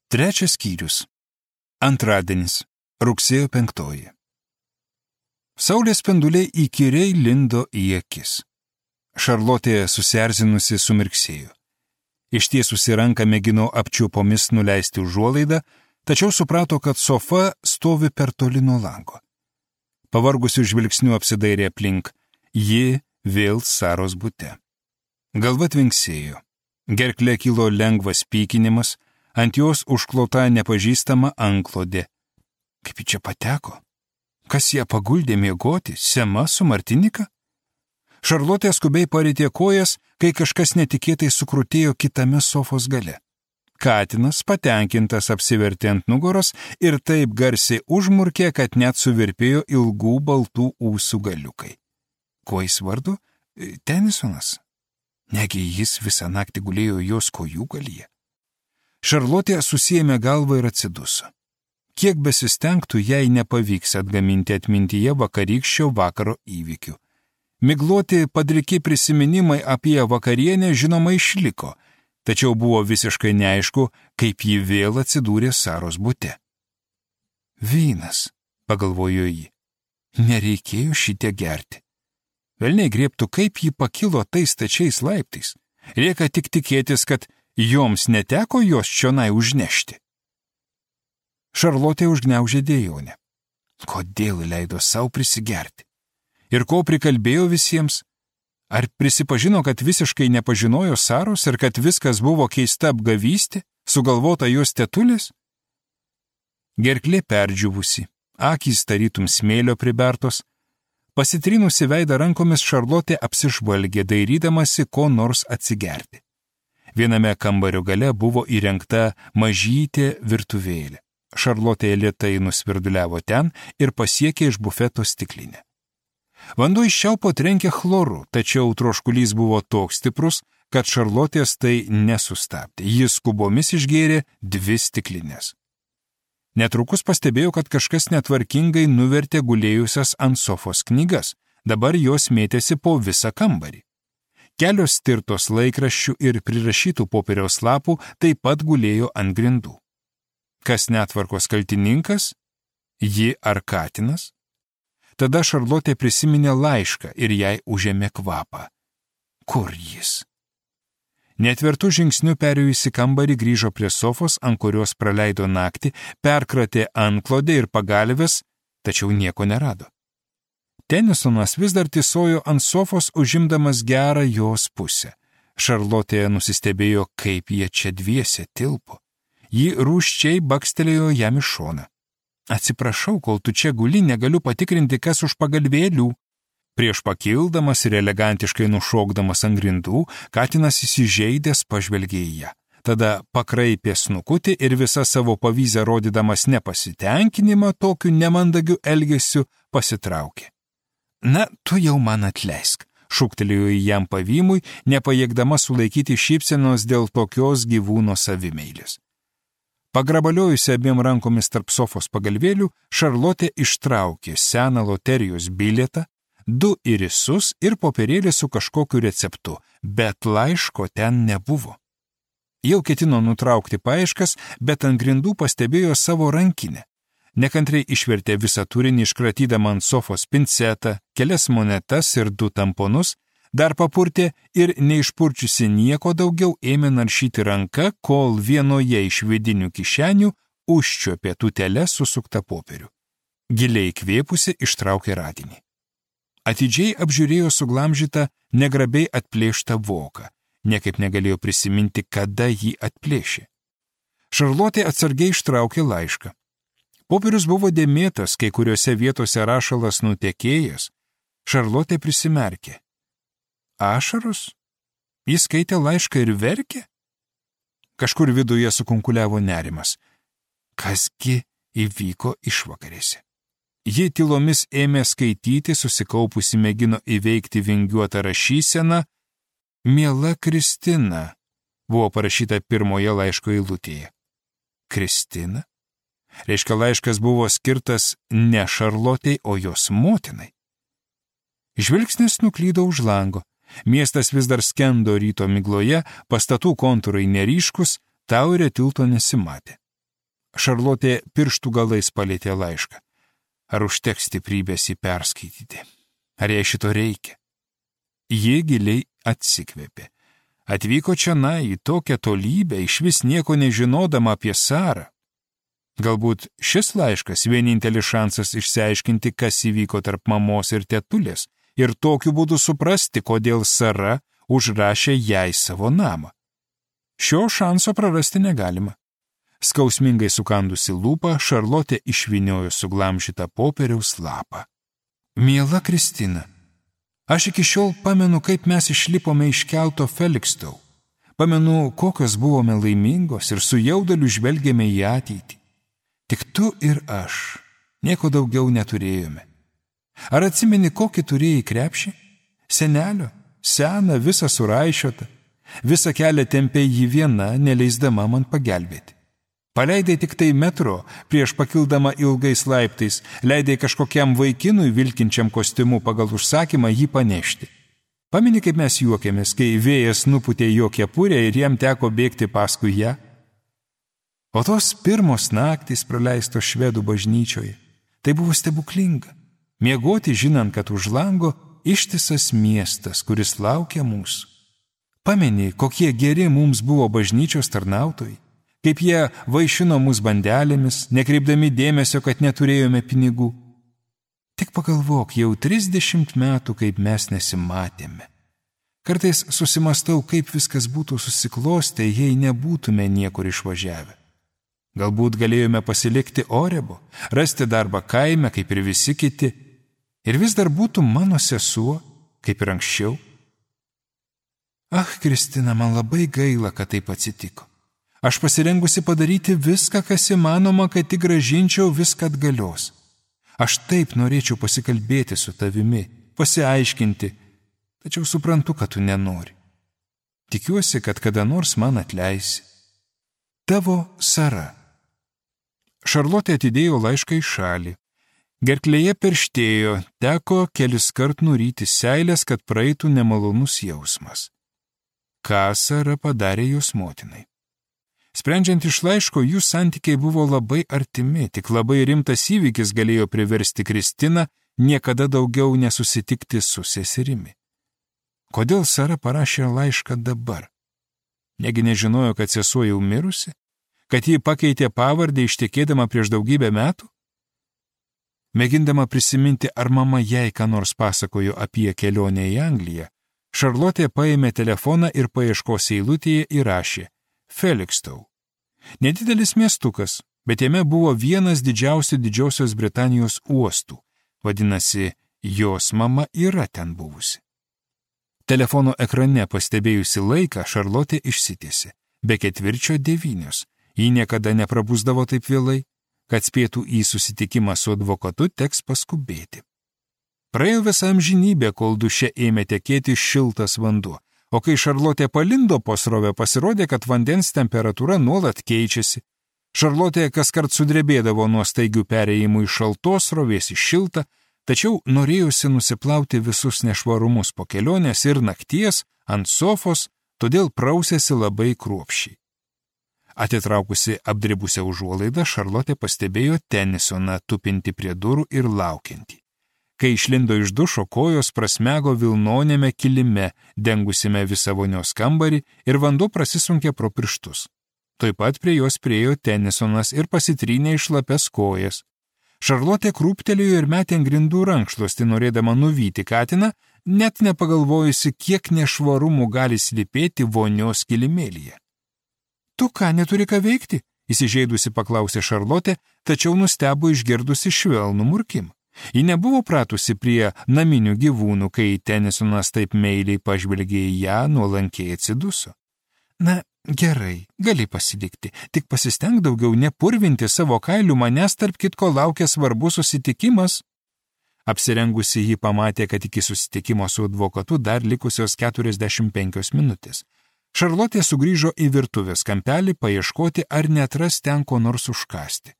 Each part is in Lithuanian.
Trečias skyrius. Antradienis, rugsėjo 5. Saulės spinduliai įkyriai lindo į akis. Šarlotė susierzinusi sumirksėjo. Ištiesusi ranką mėgino apčiupomis nuleisti užuolaidą, tačiau suprato, kad sofa stovi per toli nuo lango. Pavargusių žvilgsnių apsidairė aplink. Ji vėl Saros bute. Galva tvinksėjo. Gerklė kilo lengvas pykinimas, ant jos užklota nepažįstama antklodė. Kaip ji čia pateko? Kas ją paguldė miegoti? Sema su Martinika? Šarlotė skubiai paritė kojas, kai kažkas netikėtai sukrutėjo kitame sofos gale. Katinas, patenkintas, apsivertė ant nugaros ir taip garsiai užmurkė, kad net suvirpėjo ilgų baltų ūsų galiukai. Kuo jis vardu? Tenisonas. Negi jis visą naktį gulėjo jos kojų galyje. Šarlotė susiėmė galvą ir atsiduso. Kiek besistengtų, jai nepavyks atgaminti atmintyje vakarykščio vakaro įvykių. Migloti padriki prisiminimai apie vakarienę žinoma išliko, tačiau buvo visiškai neaišku, kaip ji vėl atsidūrė Saros bute. Vynas, pagalvojo ji. Nereikėjo šitie gerti. Velniai griebtų, kaip ji pakilo tais stačiais laiptais. Lieka tik tikėtis, kad joms neteko jos čionai užnešti. Šarlotė užgniaužė dejonę. Kodėl leido savo prisigerti? Ir ko prikalbėjo visiems? Ar prisipažino, kad visiškai nepažinojo Saros ir kad viskas buvo keista apgavystė, sugalvota jos tetulės? Gerklė perdžiuvusi, akys tarytum smėlio pribertos. Pasitrinusi veidą rankomis Šarlotė apsižvalgė, dairydamasi ko nors atsigerti. Viename kambario gale buvo įrengta mažytė virtuvėlė. Šarlotė lėtai nusvirduliavo ten ir pasiekė iš bufeto stiklinę. Vanduo iš čiaupo trenkė chloru, tačiau troškulys buvo toks stiprus, kad Šarlotės tai nesustabdė. Jis skubomis išgėrė 2 stiklinės. Netrukus pastebėjo, kad kažkas netvarkingai nuvertė gulėjusias ant sofos knygas. Dabar jos mėtėsi po visą kambarį. Kelios stirtos laikraščių ir prirašytų popieriaus lapų taip pat gulėjo ant grindų. Kas netvarkos kaltininkas? Ji ar katinas? Tada Šarlotė prisiminė laišką ir jai užėmė kvapą. Kur jis? Netvertų žingsnių perėjusi kambarį grįžo prie sofos, ant kurios praleido naktį, perkratė antklodę ir pagalves, tačiau nieko nerado. Tenisonas vis dar tysojo ant sofos, užimdamas gerą jos pusę. Šarlotė nusistebėjo, kaip jie čia dviese tilpo. Ji rūsčiai bakstelėjo jam į šoną. Atsiprašau, kol tu čia guli, negaliu patikrinti, kas už pagalvėlių. Prieš pakildamas ir elegantiškai nušokdamas ant grindų, katinas įsižeidęs pažvelgė į ją. Tada pakraipė snukutį ir visą savo pavyzę rodydamas nepasitenkinimą tokiu nemandagiu elgesiu pasitraukė. Na, tu jau man atleisk, šūktelėjo į jam pavymui, nepajėgdama sulaikyti šypsenos dėl tokios gyvūno savimeilės. Pagrabaliojusi abiem rankomis tarp sofos pagalvėlių, Šarlotė ištraukė seną loterijos bilietą, 2 irisus ir popierėlį su kažkokiu receptu, bet laiško ten nebuvo. Jau ketino nutraukti paieškas, bet ant grindų pastebėjo savo rankinę. Nekantriai išvertė visą turinį, iškratydama ant sofos pincetą, kelias monetas ir 2 tamponus, dar papurtė ir neišpurčiusi nieko daugiau ėmė naršyti ranka, kol vienoje iš vidinių kišenių užčiuopė tūtelę susuktą popierių. Giliai įkvėpusi ištraukė radinį. Atidžiai apžiūrėjo suglamžytą, negrabiai atplėštą voką. Niekaip negalėjo prisiminti, kada jį atplėšė. Šarlotė atsargiai ištraukė laišką. Popierius buvo dėmėtas, kai kuriuose vietose rašalas nutekėjęs. Šarlotė prisimerkė. Ašaros? Jis skaitė laišką ir verkė? Kažkur viduje sukunkuliavo nerimas. Kasgi įvyko išvakarėse? Ji tylomis ėmė skaityti, susikaupusi mėgino įveikti vingiuotą rašyseną. Miela Kristina, buvo parašyta pirmoje laiško eilutėje. Kristina? Reiškia, laiškas buvo skirtas ne Šarlotei, o jos motinai. Žvilgsnis nuklydo už lango. Miestas vis dar skendo ryto migloje, pastatų kontūrai neryškus, Tauerio tilto nesimatė. Šarlotė pirštų galais palėtė laišką. Ar užteks stiprybės jį perskaityti? Ar jai šito reikia? Ji giliai atsikvėpė. Atvyko čionai į tokią tolybę, išvis nieko nežinodama apie Sarą. Galbūt šis laiškas vienintelis šansas išsiaiškinti, kas įvyko tarp mamos ir tetulės, ir tokiu būdu suprasti, kodėl Sara užrašė jai savo namą. Šio šanso prarasti negalima. Skausmingai sukandusi lūpą, Šarlotė išvyniojo suglamžytą popieriaus lapą. Miela Kristina, aš iki šiol pamenu, kaip mes išlipome iš kelto Felixstowe. Pamenu, kokios buvome laimingos ir su jauduliu žvelgėme į ateitį. Tik tu ir aš. Nieko daugiau neturėjome. Ar atsimeni, kokį turėjai krepšį? Senelio, seną, visą suraišiotą. Visą kelią tempė jį viena, neleisdama man pagelbėti. Paleidai tik tai metro, prieš pakildama ilgais laiptais, leidai kažkokiam vaikinui vilkinčiam kostiumu pagal užsakymą jį panešti. Pameni, kaip mes juokėmės, kai vėjas nupūtė jo kepurę ir jam teko bėgti paskui ją? O tos pirmos naktys praleistos švedų bažnyčioje, tai buvo stebuklinga. Miegoti žinant, kad už lango ištisas miestas, kuris laukia mūsų. Pameni, kokie geri mums buvo bažnyčios tarnautojai, kaip jie vaišino mus bandelėmis, nekreipdami dėmesio, kad neturėjome pinigų. Tik pagalvok, jau 30 metų, kaip mes nesimatėme. Kartais susimastau, kaip viskas būtų susiklostę, jei nebūtume niekur išvažiavę. Galbūt galėjome pasilikti Orebo, rasti darbą kaime, kaip ir visi kiti, ir vis dar būtų mano sesuo, kaip ir anksčiau. Kristina, man labai gaila, kad taip atsitiko. Aš pasirengusi padaryti viską, kas įmanoma, kad tik grąžinčiau viską atgalios. Aš taip norėčiau pasikalbėti su tavimi, pasiaiškinti, tačiau suprantu, kad tu nenori. Tikiuosi, kad kada nors man atleisi. Tavo Sara. Šarlotė atidėjo laišką į šalį. Gerklėje perštėjo, teko keliskart nuryti seilės, kad praeitų nemalonus jausmas. Ką Sara padarė jos motinai? Sprendžiant iš laiško, jų santykiai buvo labai artimi, tik labai rimtas įvykis galėjo priversti Kristiną niekada daugiau nesusitikti su seserimi. Kodėl Sara parašė laišką dabar? Negi nežinojo, kad sesuo jau mirusi? Kad ji pakeitė pavardę ištekėdama prieš daugybę metų? Mėgindama prisiminti, ar mama jai ką nors pasakojo apie kelionę į Angliją, Šarlotė paėmė telefoną ir paieškos eilutėje įrašė Felixstowe. Nedidelis miestukas, bet jame buvo vienas didžiausių Didžiosios Britanijos uostų. Vadinasi, jos mama yra ten buvusi. Telefono ekrane pastebėjusi laiką, Šarlotė išsitiesė. Be 8:45. Ji niekada neprabusdavo taip vėlai, kad spėtų į susitikimą su advokatu teks paskubėti. Praėjo visą amžinybę, kol duše ėmė tekėti šiltas vanduo, o kai Šarlotė palindo po srovę, pasirodė, kad vandens temperatūra nuolat keičiasi. Šarlotė kaskart sudrebėdavo nuo staigių perėjimų iš šaltos srovės į šiltą, tačiau norėjusi nusiplauti visus nešvarumus po kelionės ir nakties ant sofos, todėl prausėsi labai kruopščiai. Atitraukusi apdribusią užuolaidą, Šarlotė pastebėjo Tenisoną tupinti prie durų ir laukiantį. Kai išlindo iš dušo, kojos prasmego vilnonėme kilime, dengusime visą vonios kambarį ir vanduo prasisunkė pro pirštus. Taip pat prie jos priėjo Tenisonas ir pasitrynė iš šlapias kojas. Šarlotė krūptelėjo ir metė ant grindų rankšluostį, norėdama nuvyti katiną, net nepagalvojusi, kiek nešvarumų gali slypėti vonios kilimėlyje. Tu ką, neturi ką veikti? Įsižeidusi paklausė Šarlotė, tačiau nustebo išgirdusi švelnų murkimą. Ji nebuvo pratusi prie naminių gyvūnų, kai Tenisonas taip meiliai pažvelgė į ją, nuolankiai atsiduso. Na, gerai, gali pasilikti, tik pasistenk daugiau nepurvinti savo kailių, manęs tarp kitko laukia svarbus susitikimas. Apsirengusi ji pamatė, kad iki susitikimo su advokatu dar likusios 45 minutės. Šarlotė sugrįžo į virtuvės kampelį paieškoti, ar netras ten ko nors užkasti.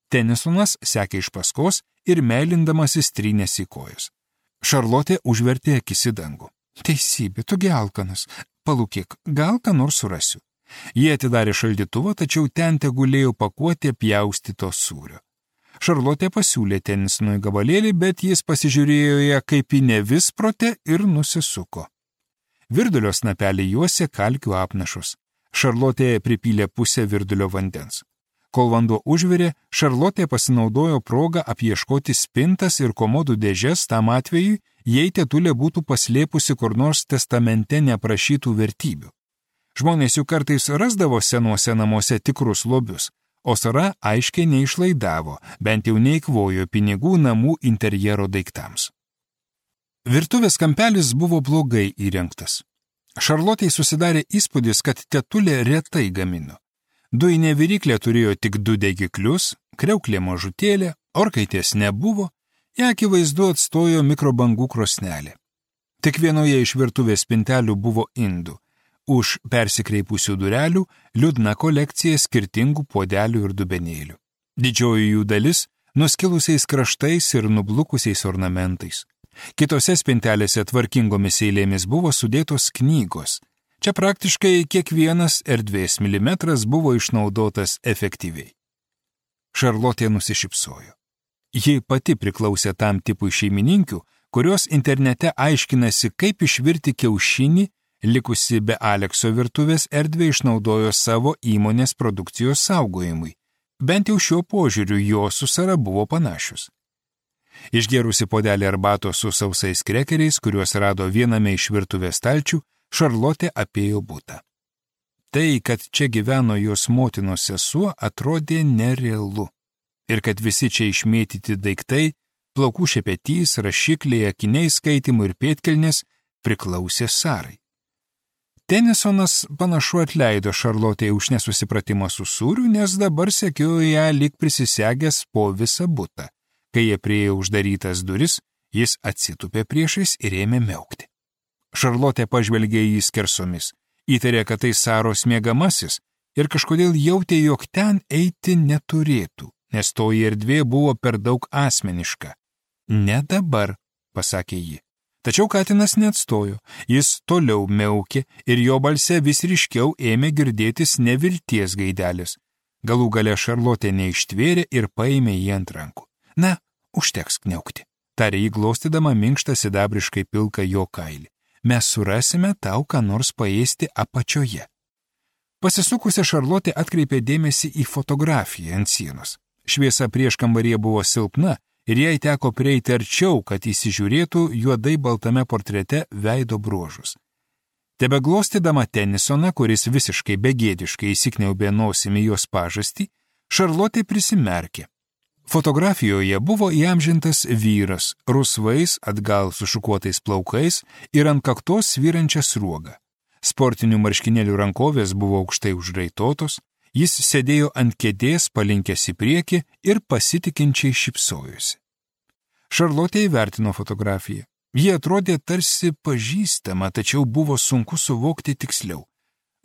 Tenisonas sekė iš paskos ir meilindamasis trynėsi į kojas. Šarlotė užvertė akis į dangų. Teisybė, tu gi alkanas. Palūkėk, gal ką nors surasiu. Jie atidarė šaldytuvą, tačiau ten tegulėjo pakuotė pjaustyto sūrio. Šarlotė pasiūlė Tenisonui gabalėlį, bet jis pasižiūrėjo ją kaip į nevisprotę ir nusisuko. Virdulio snapelį juosė kalkių apnašus. Šarlotė pripylė pusę virdulio vandens. Kol vanduo užvirė, Šarlotė pasinaudojo progą apieškoti spintas ir komodų dėžes tam atvejui, jei tetulė būtų paslėpusi kur nors testamente neprašytų vertybių. Žmonės jų kartais rasdavo senuose namuose tikrus lobius, o Sara aiškiai neišlaidavo, bent jau neikvojo pinigų namų interjero daiktams. Virtuvės kampelis buvo blogai įrengtas. Šarlotei susidarė įspūdis, kad tetulė retai gamino. Dujinė viryklė turėjo tik 2 degiklius, kriauklė mažutėlė, orkaitės nebuvo, ją akivaizdu atstojo mikrobangų krosnelė. Tik vienoje iš virtuvės spintelių buvo indų. Už persikreipusių durelių liūdna kolekcija skirtingų puodelių ir dubenėlių. Didžioji jų dalis nuskilusiais kraštais ir nublukusiais ornamentais. Kitose spintelėse tvarkingomis eilėmis buvo sudėtos knygos. Čia praktiškai kiekvienas erdvės milimetras buvo išnaudotas efektyviai. Šarlotė nusišypsojo. Ji pati priklausė tam tipui šeimininkių, kurios internete aiškinasi, kaip išvirti kiaušinį, likusi be Alekso virtuvės erdvę išnaudojo savo įmonės produkcijos saugojimui. Bent jau šiuo požiūriu jos su Sara buvo panašius. Išgėrusi puodelį arbatos su sausais krekeriais, kuriuos rado viename iš virtuvės stalčių, Šarlotė apėjo butą. Tai, kad čia gyveno jos motinos sesuo, atrodė nerealu. Ir kad visi čia išmėtyti daiktai, plaukų šepetys, rašikliai, akiniai skaitimų ir pėdkelnės priklausė Sarai. Tenisonas panašu atleido Šarlotei už nesusipratimą su sūriu, nes dabar sekiojo ją lyg prisisegęs po visą butą. Kai jie priėjo uždarytas duris, jis atsitupė priešais ir ėmė miaukti. Šarlotė pažvelgė į jį skersomis, įtarė, kad tai Saros miegamasis ir kažkodėl jautė, jog ten eiti neturėtų, nes toji erdvė buvo per daug asmeniška. Ne dabar, pasakė ji. Tačiau katinas neatstojo, jis toliau miaukė ir jo balse vis ryškiau ėmė girdėtis nevilties gaidelis. Galų gale Šarlotė neištvėrė ir paėmė jį ant rankų. Na, užteks kniaukti, tarė jį glostydama minkštą sidabriškai pilką jo kailį. Mes surasime tau, ką nors paėsti apačioje. Pasisukusi Šarlotė atkreipė dėmesį į fotografiją ant sienos. Šviesa prieškambaryje buvo silpna ir jai teko prieiti arčiau, kad įsižiūrėtų juodai baltame portrete veido bruožus. Tebeglostydama Tenisoną, kuris visiškai begėdiškai įsikniaubė nosimi jos pažastį, Šarlotė prisimerkė. Fotografijoje buvo įamžintas vyras, rusvais, atgal sušukuotais plaukais ir ant kaktos svyrančia sruoga. Sportinių marškinėlių rankovės buvo aukštai užraitotos, jis sėdėjo ant kėdės, palinkęs į priekį ir pasitikinčiai šypsojosi. Šarlotė įvertino fotografiją. Ji atrodė tarsi pažįstama, tačiau buvo sunku suvokti tiksliau.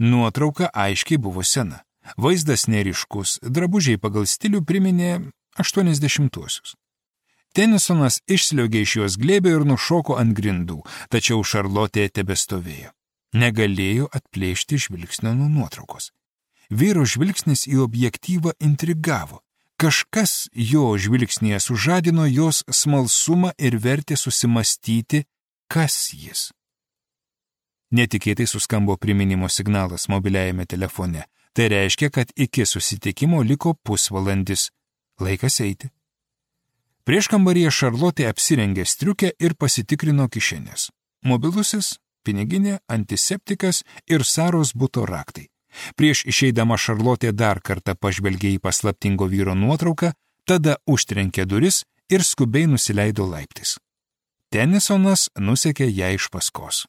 Nuotrauka aiškiai buvo sena. Vaizdas neryškus, drabužiai pagal stilių priminė 80-uosius. Tenisonas išsliogė iš jos glėbio ir nušoko ant grindų, tačiau Šarlotė tebestovėjo. Negalėjo atplėšti žvilgsnio nuo nuotraukos. Vyro žvilgsnis į objektyvą intrigavo. Kažkas jo žvilgsnėje sužadino jos smalsumą ir vertė susimastyti, kas jis. Netikėtai suskambo priminimo signalas mobiliajame telefone. Tai reiškia, kad iki susitikimo liko pusvalandis. Laikas eiti. Prieškambaryje Šarlotė apsirengė striukę ir pasitikrino kišenės. Mobilusis, piniginė, antiseptikas ir Saros buto raktai. Prieš išeidama Šarlotė dar kartą pažvelgė į paslaptingo vyro nuotrauką, tada užtrenkė duris ir skubiai nusileido laiptais. Tenisonas nusekė ją iš paskos.